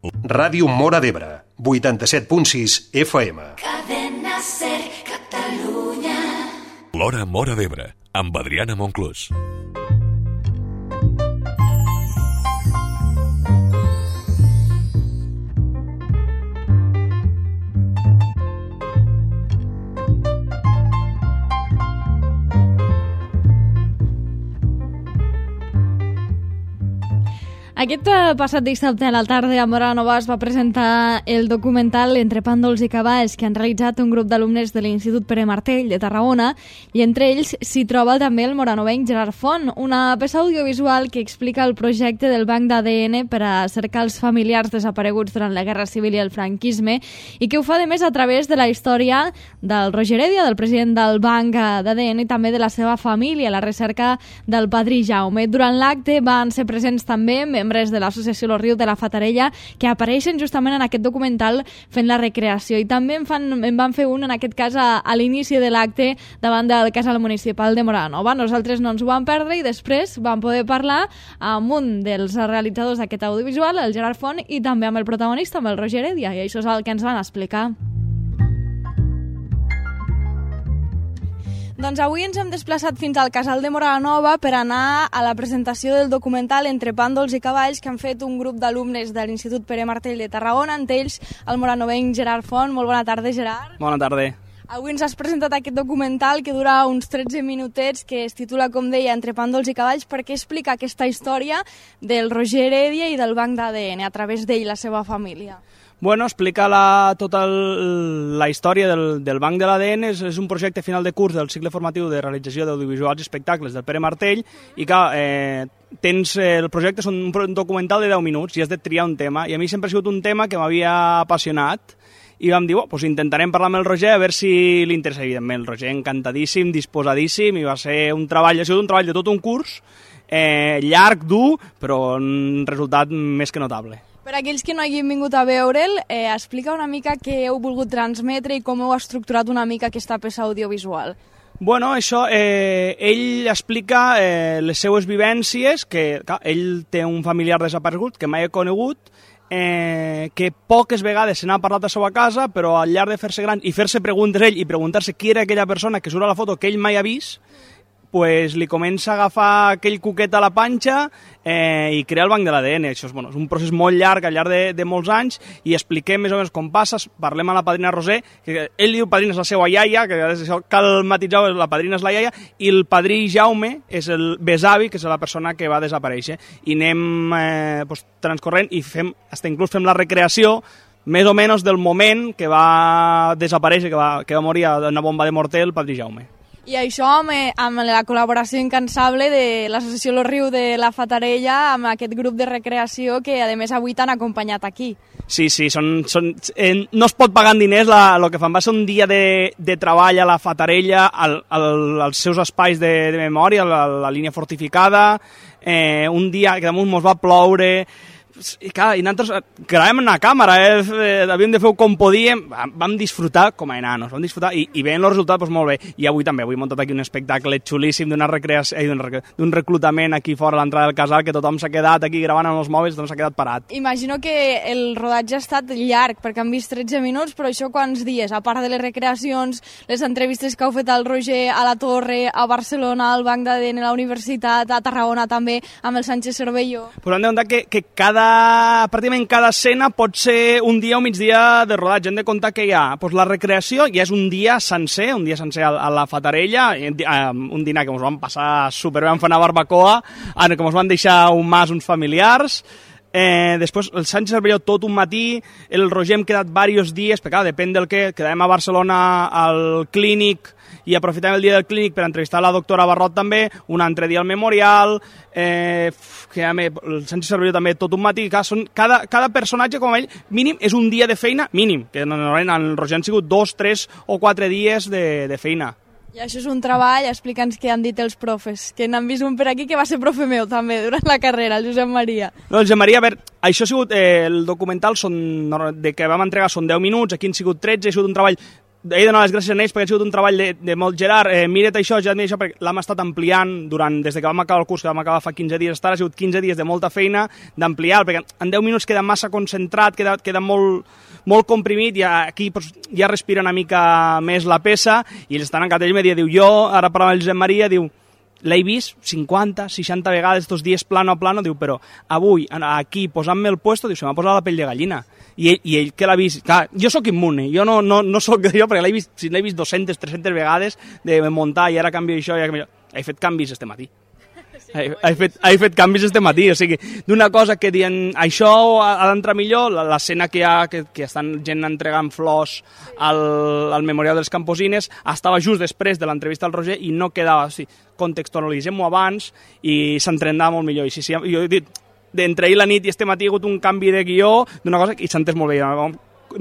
Ràdio Móra d'Ebre, 87.6 FM. Cadena Ser Catalunya. L'Hora Móra d'Ebre, amb Adriana Monclús. Aquest passat dissabte a la tarda a Móra Nova es va presentar el documental Entre pàndols i cavalls que han realitzat un grup d'alumnes de l'Institut Pere Martell de Tarragona, i entre ells s'hi troba també el moranovenc Gerard Font, una peça audiovisual que explica el projecte del Banc d'ADN per a cercar els familiars desapareguts durant la Guerra Civil i el franquisme, i que ho fa a més a través de la història del Roger Heredia, del president del Banc d'ADN, i també de la seva família, la recerca del padrí Jaume. Durant l'acte van ser presents també membres de l'associació Los Rius de la Fatarella, que apareixen justament en aquest documental fent la recreació, i també en van fer un, en aquest cas, a l'inici de l'acte davant del casal municipal de Móra Nova. Nosaltres no ens ho vam perdre i després vam poder parlar amb un dels realitzadors d'aquest audiovisual, el Gerard Font, i també amb el protagonista, amb el Roger Heredia, i això és el que ens van explicar. Doncs avui ens hem desplaçat fins al casal de Móra Nova per anar a la presentació del documental Entre pàndols i cavalls que han fet un grup d'alumnes de l'Institut Pere Martell de Tarragona, entre ells el moranovenc Gerard Font. Molt bona tarda, Gerard. Bona tarda. Avui ens has presentat aquest documental que dura uns 13 minutets, que es titula, com deia, Entre pàndols i cavalls, perquè explica aquesta història del Roger Heredia i del Banc d'ADN a través d'ell, la seva família. Bueno, explica tota la història del Banc de l'ADN. És un projecte final de curs del cicle formatiu de realització d'audiovisuals i espectacles del Pere Martell, i que el projecte és un documental de 10 minuts i has de triar un tema, i a mi sempre ha sigut un tema que m'havia apassionat, i vam dir, pues intentarem parlar amb el Roger a veure si li interessa. Evidentment, el Roger encantadíssim, disposadíssim, i ha sigut un treball de tot un curs, llarg, dur, però un resultat més que notable. Per aquells que no hagin vingut a veure'l, explica una mica què heu volgut transmetre i com heu estructurat una mica aquesta peça audiovisual. Bueno, això, ell explica les seues vivències, que clar, ell té un familiar desaparegut que mai he conegut, que poques vegades se n'ha parlat a la seva casa, però al llarg de fer-se gran i fer-se preguntes ell i preguntar-se qui era aquella persona que surt a la foto que ell mai ha vist, pues li comença a agafar aquell cuquet a la panxa i crear el Banc de l'ADN. Això és un procés molt llarg, al llarg de molts anys, i expliquem més o menys com passa. Parlem a la padrina Roser, que ell diu padrina és la seva iaia, que això cal matisar, la padrina és la iaia, i el padrí Jaume és el besavi, que és la persona que va desaparèixer. I anem transcorrent i inclús fem la recreació més o menys del moment que va desaparèixer, que va morir a una bomba de morter el padrí Jaume. I això amb la col·laboració incansable de l'associació Los Rius de la Fatarella, amb aquest grup de recreació que, a més, avui t'han acompanyat aquí. Sí, no es pot pagar en diners el que fan. Va ser un dia de treball a la Fatarella, als seus espais de memòria, la línia fortificada, un dia que damunt mos va ploure. I nosaltres gravàvem en una càmera, havíem de fer com podíem, vam disfrutar com a enanos, i veient el resultat molt bé. I avui també, avui hem muntat aquí un espectacle xulíssim d'un reclutament aquí fora a l'entrada del casal, que tothom s'ha quedat aquí gravant amb els mòbils, tothom s'ha quedat parat. Imagino que el rodatge ha estat llarg, perquè han vist 13 minuts, però això quants dies? A part de les recreacions, les entrevistes que heu fet al Roger a la Torre, a Barcelona, al Banc d'ADN, a la Universitat, a Tarragona també, amb el Sánchez Cervelló. Pues hem de comptar que pràcticament cada escena pot ser un dia o migdia de rodatge. Hem de comptar que hi ha la recreació, ja és un dia sencer a la Fatarella, un dinar que ens vam passar superbé, vam fer una barbacoa, que ens van deixar un mas uns familiars. Després el Sánchez Cervelló tot un matí, el Roger hem quedat diversos dies, perquè depèn del que, quedàvem a Barcelona al clínic i aprofitem el dia del clínic per entrevistar la doctora Barrot també, un altre dia al Memorial, el Sánchez Cervelló també tot un matí. Cada personatge, com ell, mínim és un dia de feina, mínim, que normalment el Roger han sigut 2, 3 o 4 dies de feina. I això és un treball, explica'ns què han dit els profes, que n'han vist un per aquí que va ser profe meu també durant la carrera, el Josep Maria. No, el Josep Maria, a veure, això ha sigut, el documental que vam entregar són 10 minuts, aquí han sigut 13, ha sigut un treball he de donar les gràcies a ells perquè ha sigut un treball de molt Gerard, mira't això, ja mira això, perquè l'hem estat ampliant des que vam acabar el curs, que vam acabar fa 15 dies, ha sigut 15 dies de molta feina d'ampliar, perquè en 10 minuts queda massa concentrat, queda molt comprimit, i aquí ja respira una mica més la peça, i ells estan encantats. Ell me diu, jo, ara parlant amb el Josep Maria, diu, l'he vist 50, 60 vegades estos dies plano a plano, diu, però avui, aquí, posant-me el puesto, diu, se m'ha posat la pell de gallina. I ell que l'ha vist, clar, jo sóc immune, jo no sóc jo, perquè l'he vist 200, 300 vegades de muntar, i ara canvio això, i ara canvio això. He fet canvis este matí. He fet canvis este matí, o sigui, d'una cosa que diuen això ha d'entrar millor, l'escena que hi ha, que estan gent entregant flors al Memorial dels Camposines, estava just després de l'entrevista al Roger i no quedava, o sigui, contextualitzem-ho abans i s'entrenava molt millor. I sí, jo he dit, d'entre ahir la nit i este matí ha hagut un canvi de guió d'una cosa i s'ha entès molt bé,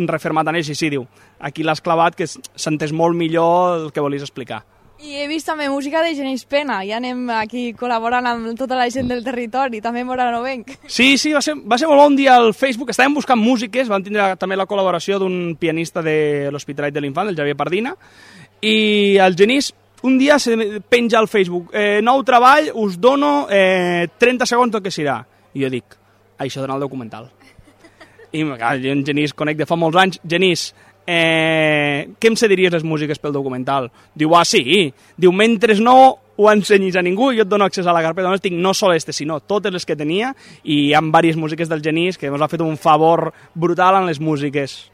refermat en ells, i sí, diu, aquí l'has clavat, que s'ha entès molt millor el que volies explicar. I he vist també música de Genís Pena, ja anem aquí col·laborant amb tota la gent del territori, també moranovenc. Sí, va ser molt bon dia al Facebook, estàvem buscant músiques, vam tindre també la col·laboració d'un pianista de l'Hospitalet de l'Infant, el Javier Pardina, i el Genís un dia se penja al Facebook, nou treball, us dono 30 segons del que serà. I jo dic, això dona el documental. I jo en Genís conec de fa molts anys. Genís, què em cediries les músiques pel documental? Diu, sí. Diu, mentre no ho ensenyis a ningú, jo et dono accés a la carpeta. Només tinc no sol sinó totes les que tenia, i hi ha diverses músiques del Genís que ens ha fet un favor brutal en les músiques.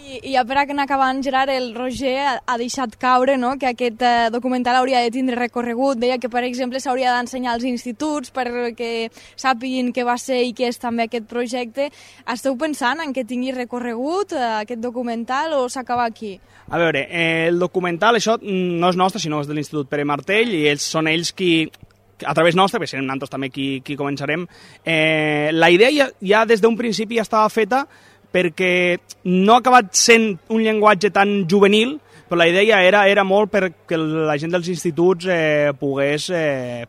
I ja per anar acabant, Gerard, el Roger ha deixat caure, no?, que aquest documental hauria de tindre recorregut. Deia que, per exemple, s'hauria d'ensenyar als instituts perquè sàpiguin què va ser i què és també aquest projecte. Esteu pensant en que tingui recorregut aquest documental o s'acaba aquí? A veure, el documental, això no és nostre, sinó és de l'Institut Pere Martell, i són ells qui, a través nostre, perquè serem nosaltres també qui començarem. La idea ja des d'un principi ja estava feta perquè no ha acabat sent un llenguatge tan juvenil, però la idea era molt perquè la gent dels instituts pogués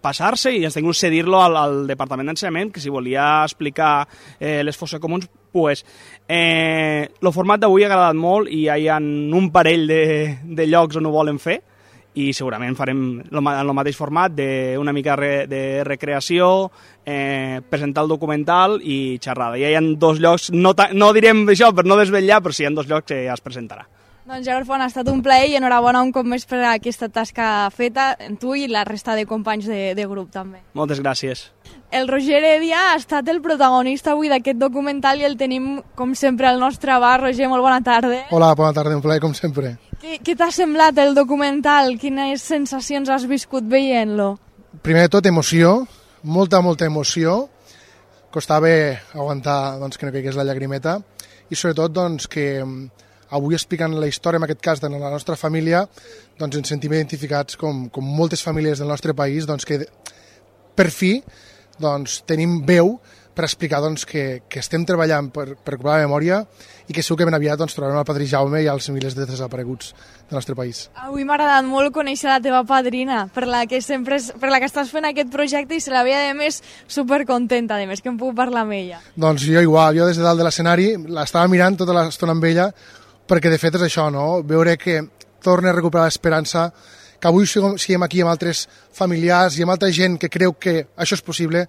passar-se i ens tingués cedir-lo al Departament d'Ensenyament, que si volia explicar les fosses comuns, pues. El format d'avui ha agradat molt i hi ha un parell de llocs on ho volen fer, i segurament farem en el mateix format, d'una mica de recreació, presentar el documental i xerrada. Ja hi ha 2 llocs, no direm això per no desvetllar, però sí hi ha 2 llocs que ja es presentarà. Doncs Gerard Font, ha estat un plaer i enhorabona un cop més per aquesta tasca feta, tu i la resta de companys de grup també. Moltes gràcies. El Roger Heredia ha estat el protagonista avui d'aquest documental i el tenim, com sempre, al nostre bar. Roger, molt bona tarda. Hola, bona tarda, un plaer, com sempre. Què t'ha semblat el documental? Quines sensacions has viscut veient-lo? Primer de tot, emoció, molta emoció. Costava aguantar doncs, que no caigués la llagrimeta i sobretot doncs, que avui explicant la història, en aquest cas de la nostra família, doncs ens sentim identificats com moltes famílies del nostre país, doncs, que per fi doncs, tenim veu per explicar doncs, que estem treballant per recuperar la memòria i que segur que ben aviat doncs, trobarem el padrí Jaume i els milers de desapareguts del nostre país. Avui m'ha agradat molt conèixer la teva padrina, per la que estàs fent aquest projecte, i se la veia, a més, supercontenta, a més, que em puc parlar amb ella. Doncs jo igual, jo des de dalt de l'escenari l'estava mirant tota l'estona amb ella, perquè de fet és això, no? Veure que torna a recuperar l'esperança, que avui siguem aquí amb altres familiars i amb altra gent que creu que això és possible.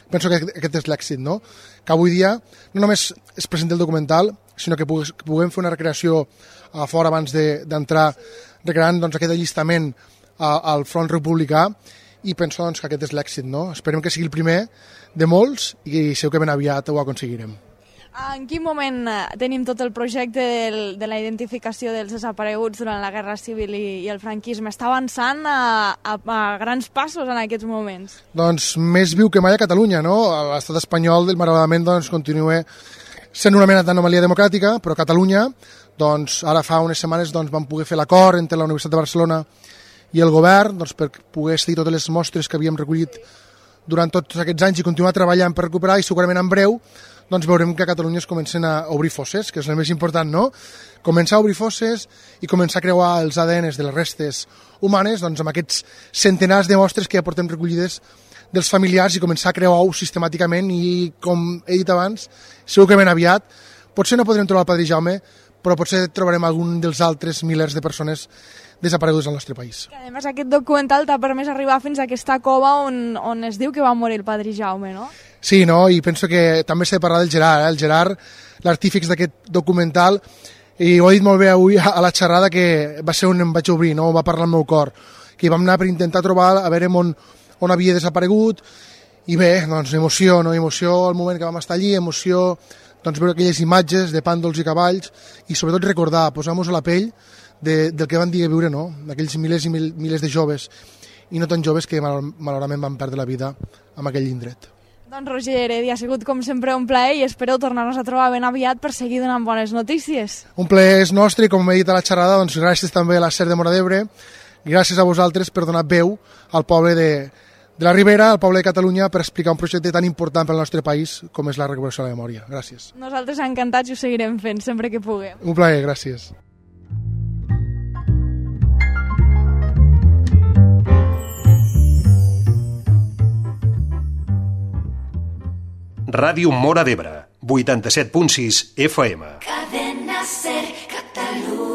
Penso que aquest és l'èxit, no? Que avui dia no només es presenta el documental, sinó que puguem fer una recreació a fora abans d'entrar, recreant doncs, aquest allistament al front republicà, i penso doncs, que aquest és l'èxit, no? Esperem que sigui el primer de molts i segur que ben aviat ho aconseguirem. En quin moment tenim tot el projecte de la identificació dels desapareguts durant la Guerra Civil i el franquisme? Està avançant a grans passos en aquests moments? Doncs més viu que mai a Catalunya, no? L'estat espanyol, malauradament, doncs, continua sent una mena d'anomalia democràtica, però a Catalunya, doncs, ara fa unes setmanes doncs, vam poder fer l'acord entre la Universitat de Barcelona i el govern doncs, per poder cedir totes les mostres que havíem recollit durant tots aquests anys i continuar treballant per recuperar, i segurament en breu doncs veurem que a Catalunya es comencen a obrir fosses, que és el més important, no? Començar a obrir fosses i començar a creuar els ADNs de les restes humanes doncs, amb aquests centenars de mostres que ja portem recollides dels familiars, i començar a creuar-ho sistemàticament, i com he dit abans, segur que ben aviat, potser no podrem trobar el padrí Jaume, però potser trobarem algun dels altres milers de persones desaparegudes al nostre país. A més, aquest documental t'ha permès arribar fins a aquesta cova on es diu que va morir el padrí Jaume, no? Sí, no? I penso que també s'ha de parlar del Gerard, el Gerard, l'artífex d'aquest documental, i ho he dit molt bé avui a la xerrada, que va ser on em vaig obrir, no? Va parlar el meu cor, que vam anar per intentar trobar, a veure on havia desaparegut, i bé, doncs emoció, no? Emoció al moment que vam estar allí, emoció doncs, veure aquelles imatges de pàndols i cavalls, i sobretot recordar, posar-nos a la pell del que van dir a viure, no? D'aquells milers i milers de joves, i no tan joves que malauradament van perdre la vida en aquell indret. Doncs Roger Heredia, ha sigut com sempre un plaer i espero tornar-nos a trobar ben aviat per seguir donant bones notícies. Un plaer és nostre i com he dit a la xerrada, doncs gràcies també a la SER de Móra d'Ebre, gràcies a vosaltres per donar veu al poble de la Ribera, al poble de Catalunya, per explicar un projecte tan important pel nostre país com és la recuperació de la memòria. Gràcies. Nosaltres encantats i ho seguirem fent sempre que puguem. Un plaer, gràcies. Ràdio Móra d'Ebre, 87.6 FM. Cadena Ser, Catalunya.